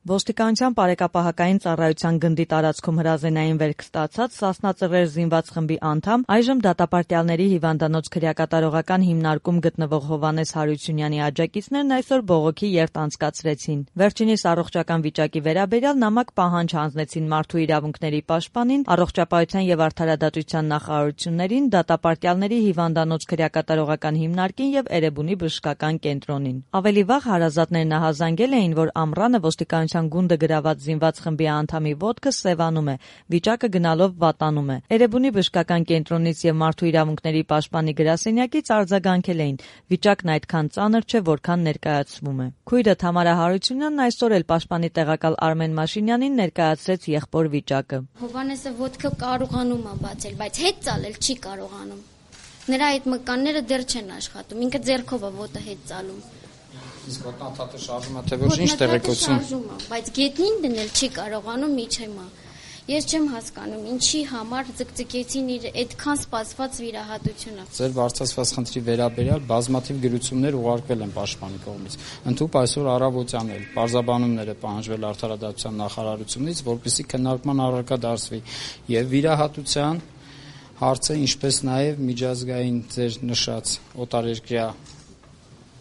Ոստիկանության բարեկապահական ծառայության գնդի տարածքում հրազենային վերք ստացած Սասնա Ծռեր զինված խմբի անդամ, այժմ դատապարտյալների հիվանդանոց քրեակատարողական հիմնարկում գտնվող Հովհաննես Հարությունյանի աջակիցներն այսօր բողոքի երթ անցկացրեցին։ Վերջինիս առողջական վիճակի վերաբերյալ նամակ պահանջ հանձնեցին Մարդու իրավունքների պաշտպանին, Առողջապահության եւ արդարադատության նախարարություններին, դատապարտյալների հիվանդանոց քրեակատարողական հիմնարկին եւ Էրեբունի բժշկական կենտրոնին։ Ավելի վաղ հարազատներն ահազանգել էին, որ ամռանը ոստիկանության գունդը գրաված զինված խմբի անդամի ոտքը սևանում է, վիճակը գնալով վատանում է։ Էրեբունի բժշկական կենտրոնից եւ Մարդու իրավունքների պաշտպանի գրասենյակից արձագանքել էին. վիճակն այդքան ծանր չէ, որքան ներկայացվում է։ Քույրը Թամարա Հարությունյանն այսօր էլ պաշտպանի տեղակալ Արմեն Մաշինյանին ներկայացրեց եղբոր վիճակը։ Հովհաննեսը ոտքը կարողանում է բացել, բայց հետ ծալել չի կարողանում։ Նրա այդ մկանները դեռ չեն աշխատում, ինքը ձեռքով է ոտը հետ ծալում։ Իսկ ոտնաթաթը շարժում է, թե ոչ ինչ տեղեկություն։ Բայց գետնին դնել չի կարողանում միջեմա։ Ես չեմ հասկանում, ինչի համար ձգձգեցին իր այդքան սպասված վիրահատությունը։ Ձեր բարձրացված խնդրի վերաբերյալ բազմաթիվ գրություններ ուղարկվել են պաշտպանի կողմից։ Ընդհուպ այսօր առավոտյան էլ բարձաբանումները պահանջվել արդարադատության նախարարությունից, որպեսզի քննարկման առարկա դարձվի եւ վիրահատության հարցը, ինչպես նաեւ միջազգային ձեր նշած օտարերկրյա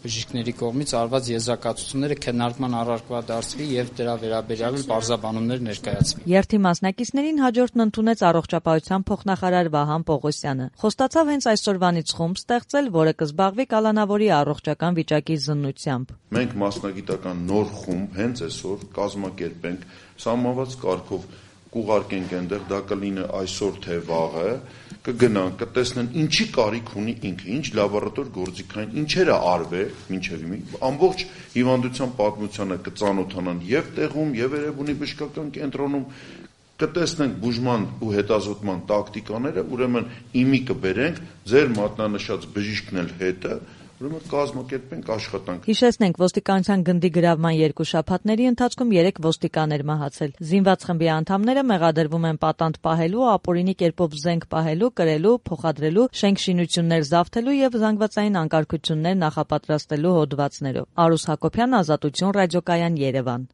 բժիշկների կողմից արված եզրակացությունները քննարկման առարկա դարձվի եւ դրա վերաբերյալ բարձաբանումներ ներկայացվի։ Երթի մասնակիցներին հաջորդն ընդունեց առողջապահության փոխնախարար Վահան Պողոսյանը։ Խոստացավ հենց այսօրվանից խումբ ստեղծել, որը կզբաղվի կալանավորի առողջական վիճակի զննությամբ։ Մենք մասնագիտական նոր խումբ հենց այսօր կազմակերպենք սահմանված կարգով կուղարկենք այնտեղ, դա կլինի այսօր թե վաղը, կգնան, կտեսնեն ինչի կարիք ունի ինքը, ինչ լաբորատոր գործիքային, ինչեր է արվել, մինչև ամբողջ հիվանդության պատմությանը կծանոթանան եւ տեղում, եւ Էրեբունի բժշկական կենտրոնում, կտեսնենք բուժման ու հետազոտման տակտիկաները, ուրեմն իմի կբերենք, ձեր մատնանշած բժիշկն էլ հետը, ուրեմն կազմակերպենք աշխատանք։ Հիշեցնենք, ոստիկանության գնդի գրավման 2 շաբաթների ընթացքում 3 ոստիկան էր մահացել։ Զինված խմբի անդամները մեղադրվում են պատանդ պահելու, ապօրինի կերպով զենք պահելու, կրելու, փոխադրելու, շենք-շինություններ զավթելու եւ զանգվածային անկարգություններ նախապատրաստելու հոդվածներով։ Արուս Հակոբյան, Ազատություն ռադիոկայան, Երևան։